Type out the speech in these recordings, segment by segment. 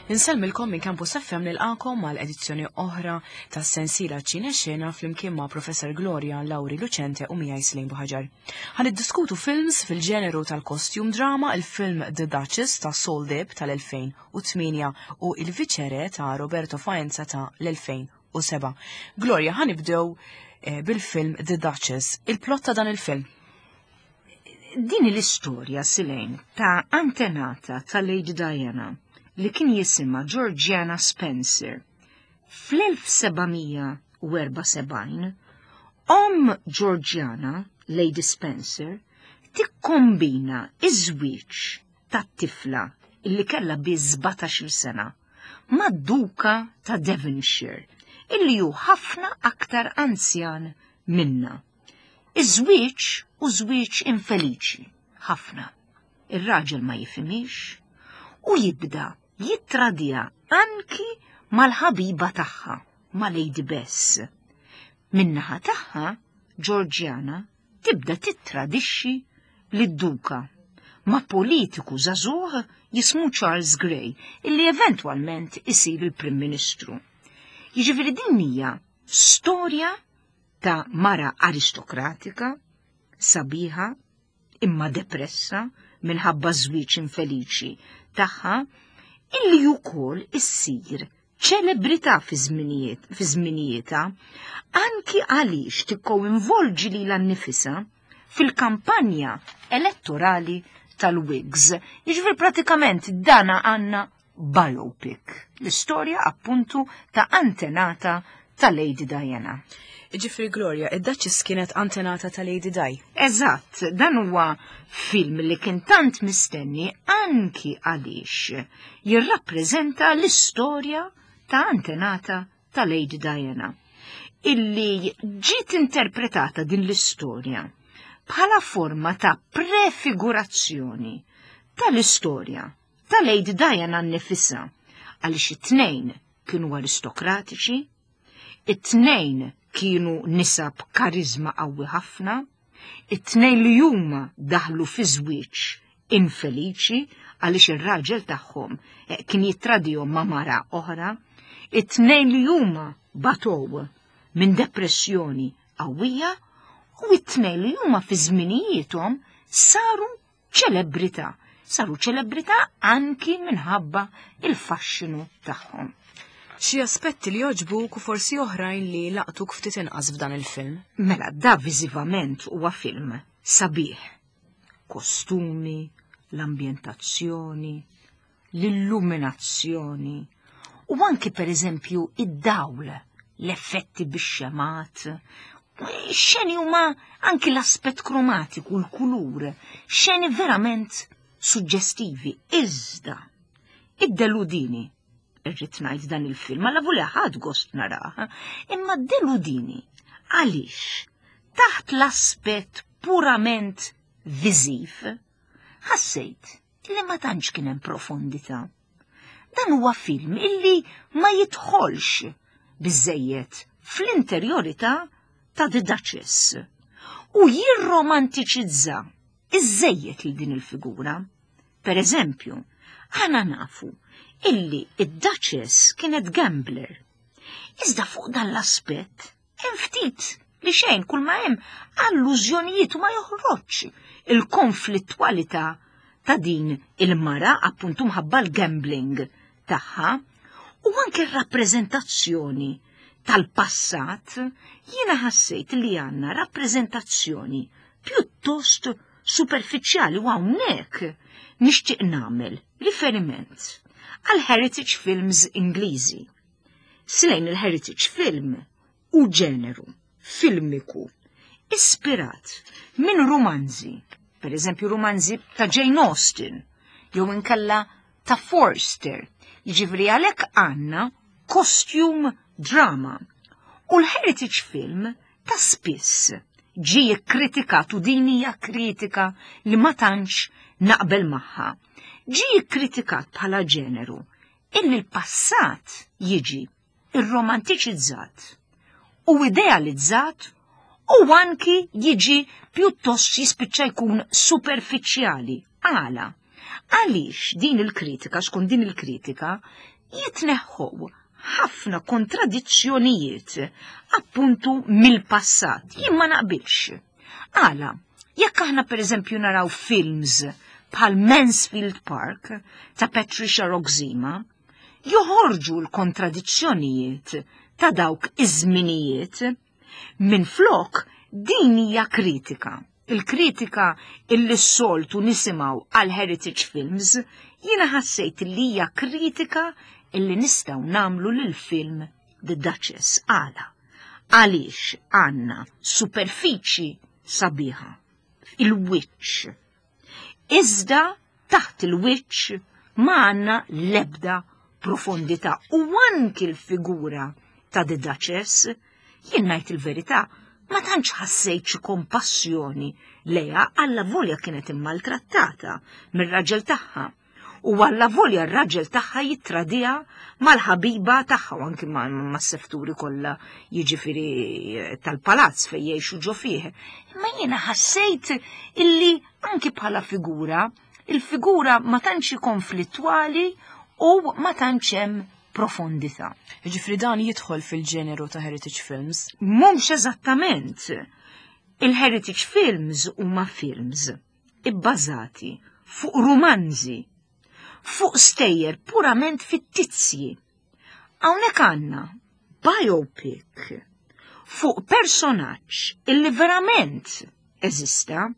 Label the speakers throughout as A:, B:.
A: Insellmilkom minn Campus FM nilqakom għal edizzjoni oħra ta' sensiela ċine xena flimkien ma' Professor Gloria Lauri Lucente u miegħi Slejn Buħaġar. Ħan iddiskutu films fil-ġeneru tal-costume drama, il-film The Duchess ta' Saul Deb tal-2008 u Il-Viċere ta' Roberto Faenza ta' l-2007. Gloria, ħanibdew eh, bil-film The Duchess. Il-plot ta' dan il-film.
B: Din l-istorja Silejn ta' antenata ta' Lady Diana li kien jisimha Georgiana Spencer. Fl-1774, omm Georgiana, Lady Spencer, tikkombina iż-żwieġ tat-tifla illi kellha biss 17-il sena mad-Duka ta' Devonshire illi hu ħafna aktar anzjan minnha. Iż-żwieġ hu żwieġ infeliċi ħafna. Ir-raġel ma jifhimhiex u jibda jittradija anki mal-ħabiba tagħha, ma' Lady Bess. Min-naħa tagħha, Georgiana tibda tittradixxi lid-duka ma' politiku żagħżugħ jismu Charles Grey, illi eventwalment isir il-Prim Ministru. Jiġifieri din hija storja ta' mara aristokratika, sabiħa, imma depressa minħabba żwieġ infeliċi tagħha, illi wkoll issir ċelebrità fi żminijietha, anki għaliex tikkoinvolġi lilha nnifisha fil-kampanja elettorali tal-Whigs. Jiġifieri pratikament dana għandna biopic, l-istorja appuntu ta' antenata ta' Lady Diana.
A: Ġifri Gloria, id-Duchess kienet antenata ta' Lady Di.
B: Eżatt, dan huwa film li kien tant mistenni anki għaliex jirrappreżenta l-istorja ta' antenata ta' Lady Diana. Illi ġiet interpretata din l-istorja bħala forma ta' prefigurazzjoni tal-istorja ta' Lady Diana nnifisha għaliex it-tnejn kienu aristokratiċi, it-tnejn kienu nisa b'kariżma qawwi ħafna, it-tnejn li huma daħlu fi żwieġ infeliċi għaliex ir-raġel tagħhom eh, kien jittradihom ma' mara oħra, it-tnejn li huma batow minn depressjoni qawwija u it-tnejn li huma fi żminijiethom saru ċelebrità. Saru ċelebrità anki minħabba il-faxxinu tagħhom.
A: Xi aspetti li jogħġbuk u forsi oħrajn li laqtuk ftit inqas f'dan il-film?
B: Mela, da viżivament huwa film sabiħ. Kostumi, l-ambjentazzjoni, l-illuminazzjoni u anki per eżempju id-dawl, l-effetti bix-xemat, xeni huma anki l-aspett kromatiku, l-kulur, xeni verament suġġestivi, iżda id-deludini irrid ngħid dan il-film, għalla voli ħadd gost narah, imma deludini għaliex taħt l-aspett purament viżiv ħassejt li ma tantx kien hemm profondità. Dan huwa film illi ma jidħolx biżejjed fl-interjorità ta' The Duchess u jirromantiċizza iżejjed lil din il-figura. Per eżempju, aħna nafu illi id-Duchess kienet gambler. Iżda fuq dan l-aspett Hemm ftit li xejn kull ma hemm allużjonijiet u ma joħroġx il-konflittwalità ta' din il-mara appuntu mħabba l-gambling tagħha u anke r-rappreżentazzjoni tal-passat jiena ħassejt li għandna rappreżentazzjoni pjuttost superfiċjali u hawnhekk nixtieq nagħmel riferiment għal heritage films Ingliżi. Slejn il-heritage film u ġeneru filmiku ispirat minn rumanzi, per eżempju rumanzi ta' Jane Austen, jew inkella ta' Forster, jiġifieri għalhekk għandna costume drama. U l-heritage film ta' spiss ġie kkritikat u din hija kritika li ma tantx naqbel magħha. Ġie kkritikat bħala ġeneru illi l-passat jiġi irromantiċizzat u idealizzat u anki jiġi pjuttost jispiċċa jkun superfiċjali. Għala? Għaliex din il-kritika, skont din il-kritika, Jitneħħu ħafna kontradizzjonijiet appuntu mill-passat. Jien ma naqbilx. Għala, jekk aħna pereżempju naraw films bħal Mansfield Park ta' Patricia Roxima, joħorġu l-kontradizzjonijiet ta' dawk iż-żminijiet. Minflok din hija kritika. Il-kritika illi s-soltu nisimgħu għal heritage films, jiena ħassejt li hija kritika illi nistgħu nagħmlu lil film The Duchess għala. Għaliex għandna superfiċi sabiħa, il-wiċċ. Iżda taħt il-wiċċ ma għandna l-ebda profondità u anki l-figura ta' The Duchess, jien ngħid il-verità, ma tantx ħassejt xi kompassjoni lejha alla volja kienet immaltrattata mir-raġel tagħha. U alla volja r-raġel tagħha jittradija mal-ħabiba tagħha u anki mas-sefturi kollha jiġifieri eh, tal-palazz fejn jgħixu ġo fih. Imma jiena ħassejt illi anki bħala figura, il-figura ma tantx konflittwali u ma tantx hemm profondità.
A: Jiġifieri dan jidħol fil-ġeneru ta' heritage films?
B: Mhux eżattament. Il-heritage films huma films ibbażati fuq rumanzi, fuq stejjer purament fittizji. Hawnhekk għandna biopic fuq personaġġ illi verament eżista.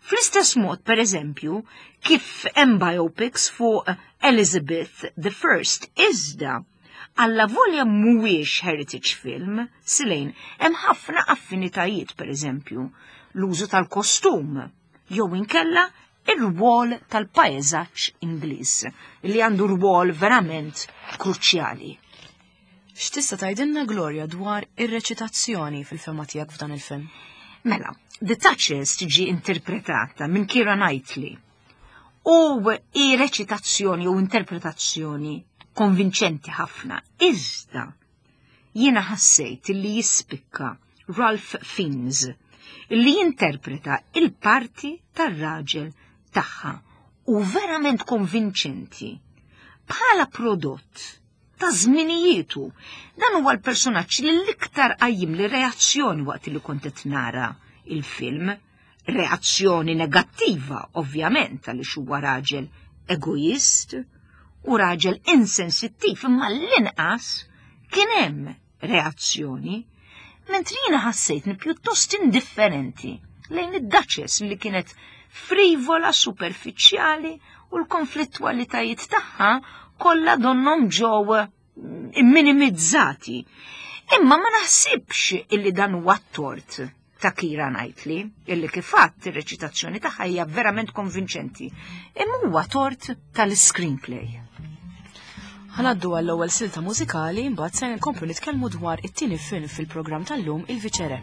B: Fl-istess mod, per eżempju, kif hemm biopics fuq Elizabeth the First iżda alla volja mhuwiex heritage film, silejn, hemm ħafna affinitajiet, per eżempju, l-użu tal-kostum, jew inkella ir-rwol tal-paeżaġġ Ingliż, li għandu rwol verament kruċjali.
A: X'tista' tgħidilna Gloria dwar ir-reċitazzjoni fil-fehma tiegħek f'dan il-film?
B: Mela, The Duchess tiġi interpretata minn Keira Knightley u hi reċitazzjoni u interpretazzjoni konvinċenti ħafna. Iżda jiena ħassejt li jispikka Ralph Fiennes li jinterpreta il-parti tar-raġel tagħha u verament konvinċenti. Bħala prodott ta' żminijietu. Dan huwa l-personaġġ li l-iktar qajjim li reazzjoni waqt li kont qed nara il-film. Reazzjoni negattiva, ovvjament, għaliex huwa raġel egoist u raġel insensittiv, imma l-inqas kien hemm reazzjoni, mentri jiena ħassejtni pjuttost indifferenti lejn id-Duchess li kienet frivola, superfiċjali u l-konflittwalitajiet tagħha kollha donnhom ġew imminimizzati. Imma ma naħsibx illi dan huwa t-tort ta' Keira Knightley, illi kif għadt ir-reċitazzjoni tagħha hija verament konvinċenti. Imma huwa tort tal-screenplay.
A: Ħanaddu għall-ewwel silta mużikali mbagħad se nkomplu nitkellmu dwar it-tieni film fil-programm tal-lum Il-Viċere.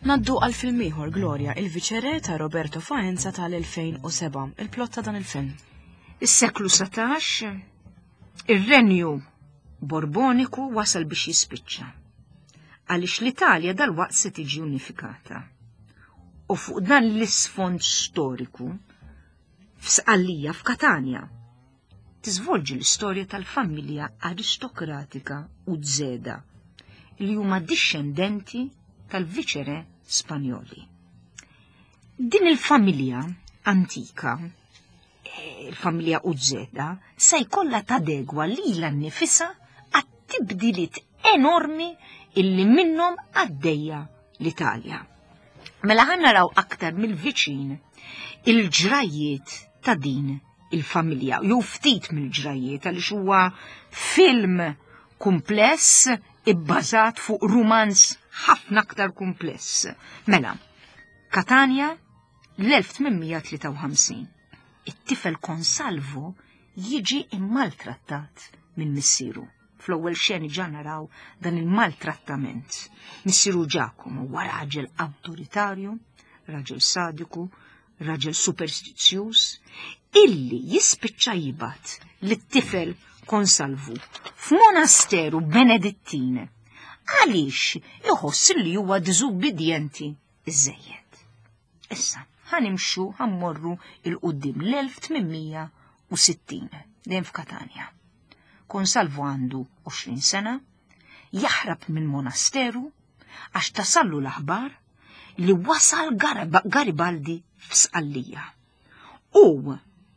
A: Naddu għal film ieħor Gloria, il-Viċere ta' Roberto Faenza tal-2007, il-plot ta' dan il-film.
B: Is-seklu 17, ir-renju Borboniku wasal biex jispiċċa. Għaliex l-Italja dalwaqt se tiġi unifikata. U fuq dan l-isfond storiku, f'Sqallija f'Katanja, tiżvolġi l-istorja tal-familja aristokratika Uzeda, li huma dixxendenti tal-viċere Spanjoli. Din il-familja antika, eh, il-familja Uzeda, se jkollha tadegwa lilha nnifisha għat-tibdiliet enormi illi minnhom għaddejja l-Italja. Mela ħa naraw aktar mill-viċin il-ġrajiet ta' din il-familja, jew ftit mill-ġrajiet għaliex huwa film kumpless ibbażat fuq rumanz ħafna aktar kumpless. Mela, Katanja l-1853. It-tifel Konsalvo jiġi immaltrattat minn missieru. Fl-ewwel xeni ġa naraw dan il-maltrattament. Missieru Giacomo huwa raġel awtoritarju, raġel sadiku, raġel superstizzjuż, illi jispiċċa jibgħat lit-tifel Konsalvu f'monasteru Benedittin għaliex iħoss li huwa diżubbidjenti iżejjed. Issa, ħanimxu ħammorru il-qudiem l-1860 dejjem f'Katanja. Konsalvu għandu 20 sena, jaħrab minn monasteru għax tasallu l-aħbar li wasal Garibaldi f'Sqallija. U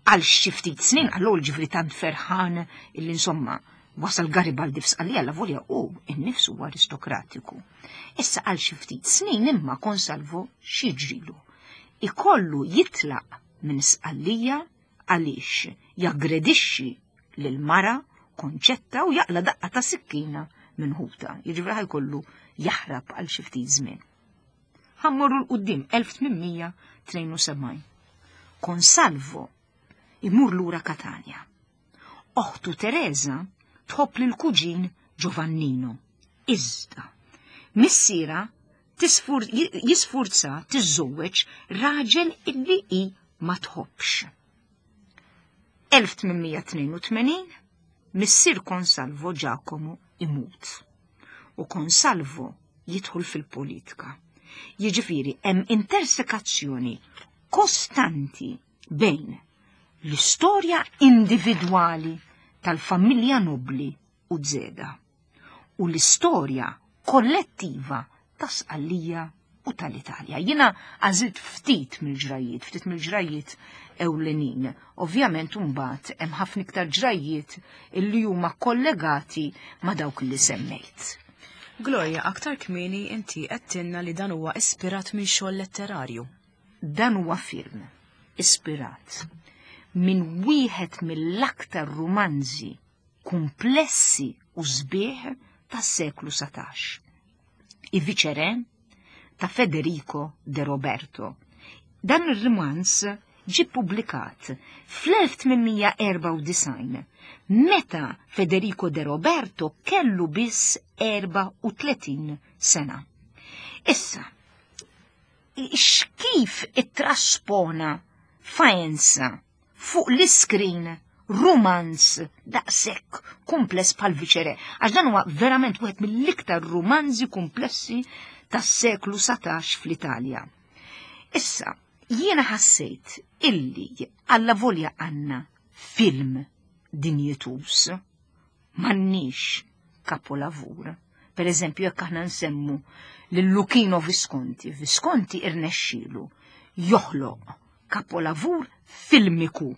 B: għal xi ftit snin għal ġifri tant ferħan illi insomma wasal Garibaldi f'Sqallija la volja u innifsu huwa aristokratiku. Issa għal xi ftit snin imma Konsalvo xi ġrilu. Ikollu jitlaq minn Sqallija għaliex jaggredixxi lil mara Konċetta u jaqla daqqa ta' sikkina minn ħuta. Jiġifieri ħajkollu jaħrab għal xi ftit żmien. Ħammorru 'l quddiem 1872. Konsalvo imur lura Katanja. Oħtu Teresa tħobb lil kuġin Giovannino. Iżda, missiera jisfurza tiżżewweġ raġel illi hi ma tħobbx. 1882 missier Konsalvo Giacomo imut u Konsalvo jidħol fil-politika. Jiġifieri hemm intersekazzjoni kostanti bejn l-istorja individwali tal-familja nobli Uzeda u l-istorja kollettiva ta' Sqallija u tal-Italja. Jiena għażilt ftit mill-ġrajiet, ftit mill-ġrajiet ewlenin. Ovvjament mbagħad hemm ħafna iktar ġrajiet illi huma kollegati ma' dawk li semmejt.
A: Gloria, aktar kmieni inti għedtilna li dan huwa ispirat minn xogħol letterarju.
B: Dan huwa film ispirat minn wieħed mill-aktar rumanzi kumplessi u sbieħ tas-seklu 17. I Viceré ta' Federico de Roberto. Dan ir-rumanz ġie ppubblikat fl-1894 meta Federico de Roberto kellu biss 34 sena. Issa, x'kif ittraspona Faenza fuq l-iskrin rumanz daqshekk kumpless bħal Viċere, għax dan huwa verament wieħed mill-iktar rumanzi kumplessi tas-seklu 17 fl-Italja. Issa, jiena ħassejt illi alla volja għandna film dinjetus, m'għandniex kapolavur. Per eżempju, jekk aħna nsemmu lil Luchino Visconti, Visconti irnexxielu joħloq kapolavur filmiku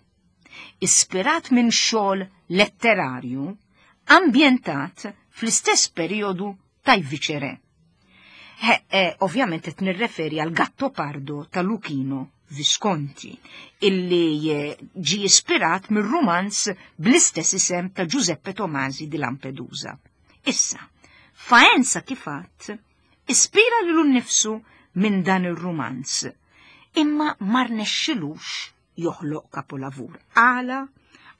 B: ispirat minn xogħol letterarju ambjentat fl-istess perjodu ta' Viċere. Ovvjament qed nirreferi għal Gattopardo ta' Luchino Visconti, illi ġie ispirat mir-rumanz bl-istess isem ta' Giuseppe Tomasi di Lampedusa. Issa, Faenza kif għadt ispira lilu nnifsu minn dan ir-rumanz, imma ma rnexxilux joħloq kapolavur. Għala?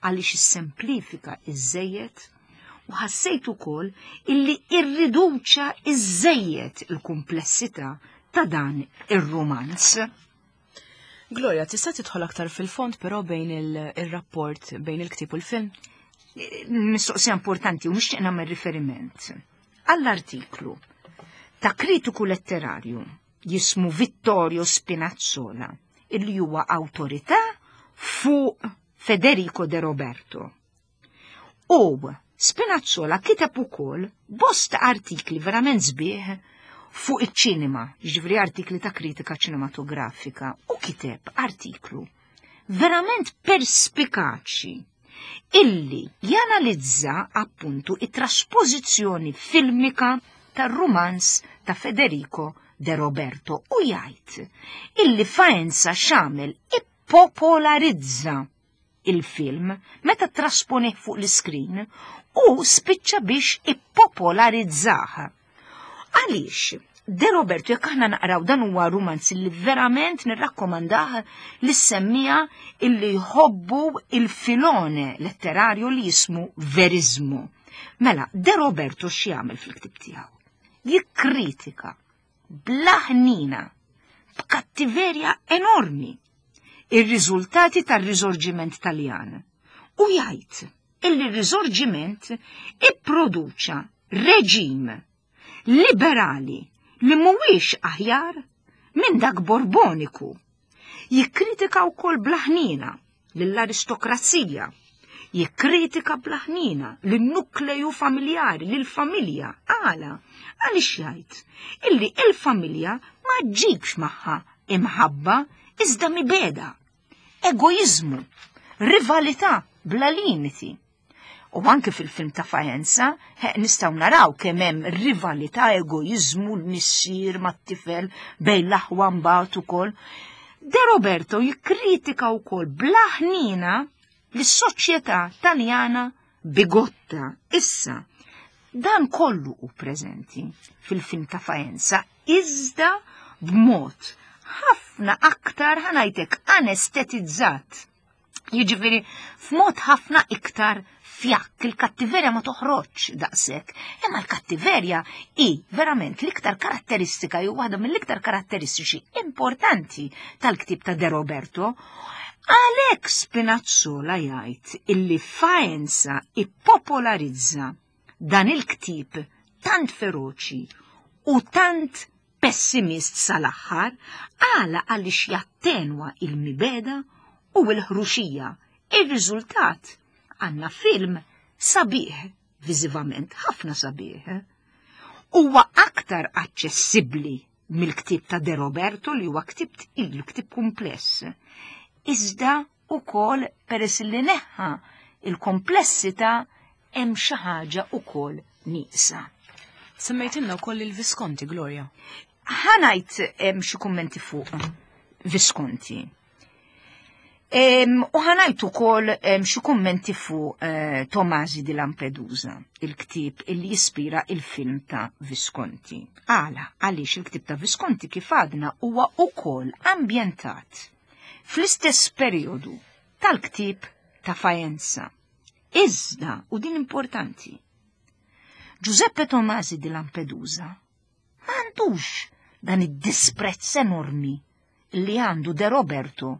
B: Għaliex issemplifika iżżejjed u ħassejt ukoll illi irriduċa iżżejjed il-kumplessità ta' dan ir-rumanz.
A: Gloria, tista' tidħol aktar fil-fond però bejn il-rapport bejn il-ktieb u l-film?
B: Mistoqsija importanti u nixtieq nagħmel riferiment għall-artiklu ta' kritiku letterarju jismu Vittorio Spinazzola illi huwa awtorità fuq Federico De Roberto. U Spinazzola kiteb ukoll bosta artikli verament sbieħ fuq iċ-ċinema, jiġifieri artikli ta' kritika ċinematografika, u kiteb artiklu verament perspikaċi illi janalizza appuntu it-traspożizzjoni filmika tar-rumanz ta' Federico De Roberto u jgħid illi Faenza x'għamel ippopolarizza il-film meta trasponih fuq l-iskrin u spiċċa biex ippopolarizzah. Għaliex? De Roberto, jekk aħna naqraw dan huwa rumanz li verament nirrakkomandah lis-semmija illi jħobbu il-filone letterarju li jismu verizmu. Mela, De Roberto x'jagħmel fil-ktib tiegħu? Jikkritika bla ħnina, b'kattiverja enormi, ir-riżultati tar-Riżorġiment Taljan u jgħid illi r-Riżorġiment ipproduċa reġim liberali li mhuwiex aħjar minn dak Borboniku. Jikkritika wkoll bla ħniena lill-aristokrazija, jikkritika bla ħniena lin-nukleju familjari, lill-familja. Għala? Għaliex jgħid illi il-familja ma ġġibx magħha imħabba iżda mibegħda, egoiżmu, rivalità bla limiti. U anke fil-film ta' Faenza, nistgħu naraw kemm hemm rivalità, egoiżmu, l-missier mat-tifel bejn l-aħwa mbagħad ukoll. De Roberto jikkritika wkoll bla ħniena lis-soċjetà Taljana bigotta. Issa, dan kollu hu preżenti fil-film ta' Faenza, iżda b'mod ħafna aktar ħanajtek anestetizzat. Jiġifieri f'mod ħafna iktar fjakk, il-kattiverja ma toħroġx daqshekk. Imma l-kattiverja hi verament l-iktar karatteristika jew waħda mill-iktar karatteristiċi importanti tal-ktieb ta' De Roberto. Għalhekk Spinazzola jgħid illi Faenza ippopolarizza dan il-ktieb tant feroċi u tant pessimist sal-aħħar, għala għaliex jattenwa il-mibegħda u l-ħruxija. Ir-riżultat għandna film sabiħ viżivament, ħafna sabiħ. Huwa aktar aċċessibbli mill-ktieb ta' De Roberto li huwa ktieb tqil, ktieb kumpless. Iżda ukoll peress li neħħa il-komplessità hemm xi ħaġa ukoll nieqsa.
A: Semmejtilna wkoll il-Visconti, Gloria.
B: Ħanajt xi kummenti fuq Visconti. U ħanajt ukoll xi kummenti fuq eh, Tomasi di Lampedusa, il-ktieb illi jispira il-film ta' Visconti. Għala, għaliex il-ktieb ta' Visconti kif għadna huwa ukoll ambjentat fl-istess periodu tal-ktieb ta' Faenza. Iżda, u din importanti, Giuseppe Tomasi di Lampedusa ma għandux dan id-disprezz enormi li għandu De Roberto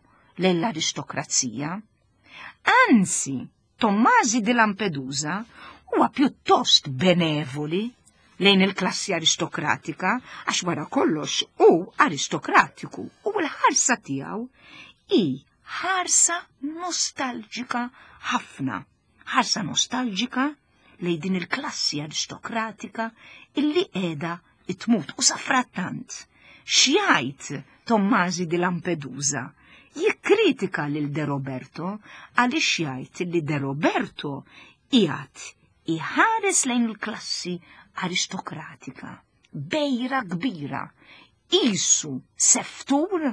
B: lejn l-aristokrazija. Anzi, Tommasi di Lampedusa huwa pjuttost benevoli lejn il-klassi aristokratika għax wara kollox hu aristokratiku u l-ħarsa tiegħu hi ħarsa nostalġika ħafna. Ħarsa nostalġika lejn din il-klassi aristokratika illi qiegħda tmut u safrattant. X'jgħid Tommasi di Lampedusa? Jikkritika lil De Roberto għaliex jgħid li De Roberto qiegħed iħares lejn il-klassi aristokratika bejra kbira qisu seftur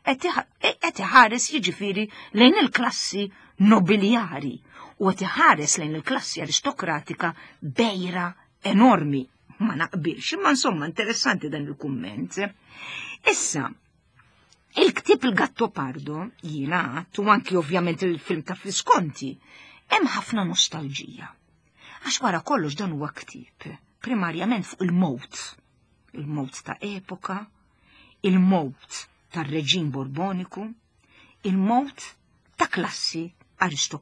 B: qed iħares jiġifieri lejn il-klassi nobiljari u qed iħares lejn il-klassi aristokratika bejra enormi. Ma naqbilx, imma insomma interessanti dan il-kumment. Issa, il-ktieb il-Gattopardo jiena għadt u anki ovvjament il-film ta' Visconti, hemm ħafna nostalġija. Għax wara kollox dan huwa ktieb primarjament fuq il-mowt il-mowt ta' epoka, Il-mowt tar-reġim Borboniku, il-mowt ta' klassi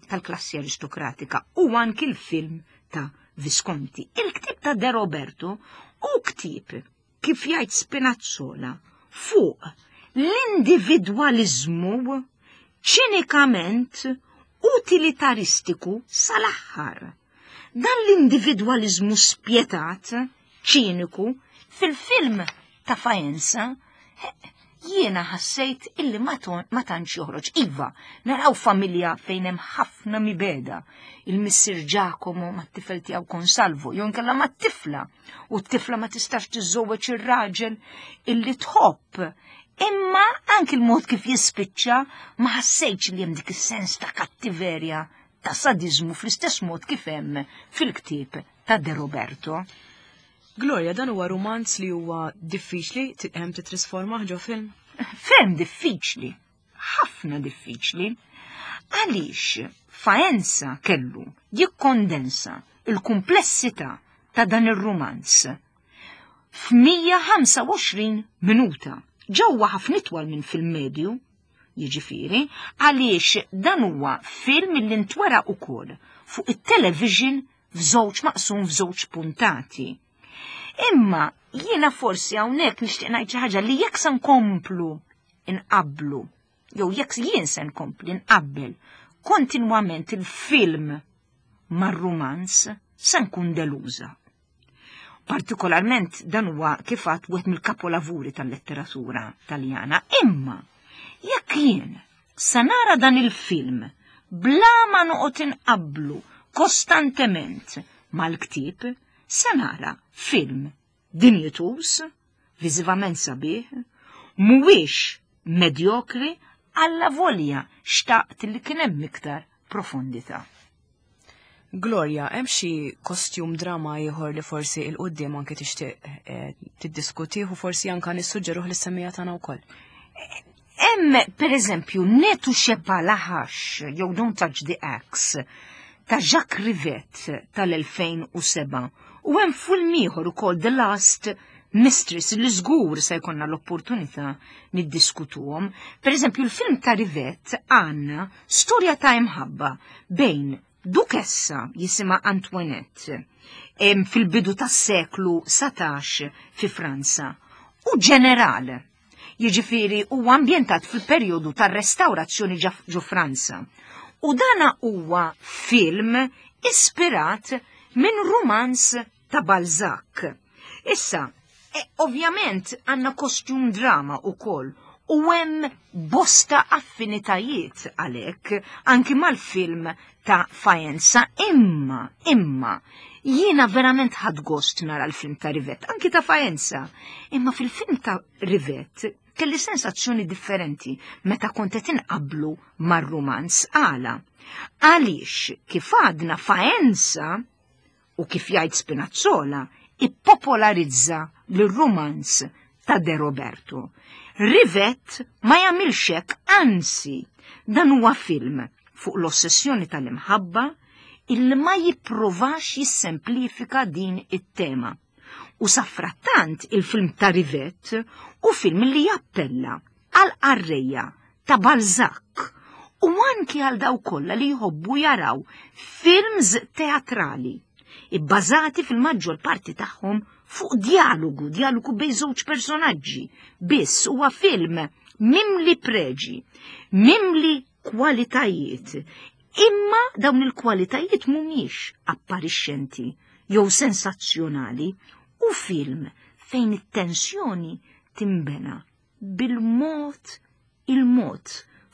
B: tal-klassi aristokratika u anki l-film ta' Visconti. Il-ktieb ta' De Roberto hu ktieb, kif jgħid Spinazzola, fuq l-individwaliżmu ċinikament utilitaristiku sal-aħħar. Dan l-individwaliżmu spjetat, ċiniku, fil-film ta' Faenza, jiena ħassejt illi ma tantx joħroġ. Iva, naraw familja fejn hemm ħafna mibeda. Il-missier Giacomo mat-tifel tiegħu Consalvo, jew inkella mat-tifla, u t-tifla ma tistax tiżżewweġ ir-raġel illi tħobb. Imma anki l-mod kif jispiċċa ma ħassejtx li hemm dik is-sens ta' kattiverja ta' sadiżmu fl-istess mod kif hemm fil-ktieb ta' De Roberto.
A: Gloria, dan huwa rumanz li huwa diffiċli hemm titrasformah ġo film?
B: Ferm diffiċli, ħafna diffiċli. Għaliex Faenza kellu jikkondensa il-kumplessità ta' dan ir-rumanz f'125 minuta. Ġewwa ħafna itwal minn film medju, jiġifieri, għaliex dan huwa film li ntwera ukoll fuq it-television f'żewġ maqsum f'żewġ puntati. Imma jiena forsi hawnhekk nixtieq ngħid xi ħaġa li jekk se nkomplu nqabblu jew jekk jien se nkompli nqabbel kontinwament il-film mar-rumanz se nkun deluża. Partikolarment dan huwa kif għadt wieħed mill-kapolavuri tal-letteratura Taljana. Imma jekk jien se nara dan il-film bla ma noqgħod inqabblu kostantement mal-ktieb, se nara film dinjituż, viżivament sabiħ, mhuwiex medjokri allavolja xtaqt li kien hemm iktar profondità.
A: Gloria, hemm xi kostjum drama ieħor li forsi il quddiem anke tixtieq eh, tiddiskutih u forsi anke nissuġġeruh lis-semmiegħa tagħna wkoll?
B: Hemm pereżempju Ne touchez pas la hache jew Don't Touch the Axe ta' Jacques Rivette tal-2007 u hemm film ieħor ukoll The Last Mistress li żgur se jkollna l-opportunità niddiskutuhom. Pereżempju l-film ta' Rivette għandna storja ta' imħabba bejn dukessa jisimha Antoinette fil-bidu tas-seklu 19 fi Franza u ġeneral. Jiġifieri huwa ambjentat fil-perjodu tar-restawrazzjoni ġo Franza. U dana huwa film ispirat minn rumanz ta' Balzac. Issa, e, ovvjament għandna kostjum drama ukoll u hemm bosta affinitajiet għalhekk anki mal-film ta' Faenza imma, imma, jiena verament ħadt gost nara l-film ta' Rivette, anki ta' Faenza, imma fil-film ta' Rivette kelli sensazzjoni differenti meta kont qed inqabblu mar-rumanz għala. Għaliex kif għadna Faenza u kif jgħid Spinazzola, ippopolarizza lir-rumanz ta' De Roberto. Rivette ma jagħmilx hekk, anzi, dan huwa film fuq l-ossessjoni tal-imħabba illi ma jipprovax jissemplifika din it-tema. U safrattant il-film ta' Rivette hu film li jappella għal qarrejja ta' Balzac u anki għal dawk kollha li jħobbu jaraw films teatrali ibbażati fil-maġġor parti tagħhom fuq dialogu, dialogu bejn żewġ personaġġi. Biss huwa film mimli preġi, mimli kwalitajiet, imma dawn il-kwalitajiet mhumiex apparixxenti jew sensazzjonali u film fejn it-tensjoni timbena bil-mod il-mod,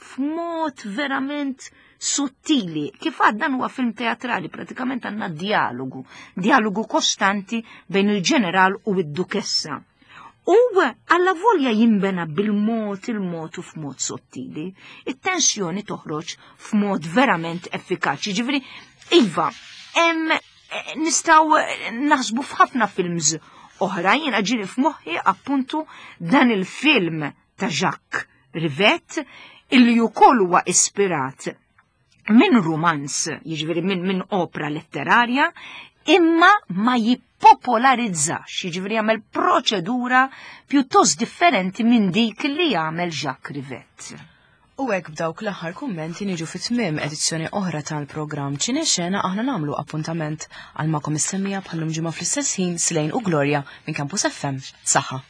B: f'mod verament sottili. Kif għad dan huwa film teatrali, pratikament għandna dialogu, dialogu kostanti bejn il-ġeneral u id-dukessa. U alla volja jimbena bil-mod il-mod u f'mod sottili, it-tensjoni toħroġ f'mod verament effikaċi. Ġifieri, iva, hemm eh, nistgħu eh, naħsbu f'ħafna films oħra, jiena ġiri f'moħħi appuntu dan il-film ta' Jacques Rivette illi wkoll huwa ispirat minn rumanz, jiġifieri minn min opra letterarja, imma ma jib jippopolarizzax, jiġifieri jagħmel proċedura pjuttost differenti minn dik li jagħmel Jacques Rivette.
A: U hekk b'dawk l-aħħar kummenti niġu fi tmiem edizzjoni oħra tal-programm Ċinexena. Aħna nagħmlu appuntament għal magħkom is-semmiegħa bħal-lum ġimgħa fl-istess ħin. Slejn u Gloria minn Campus FM. Saħħa.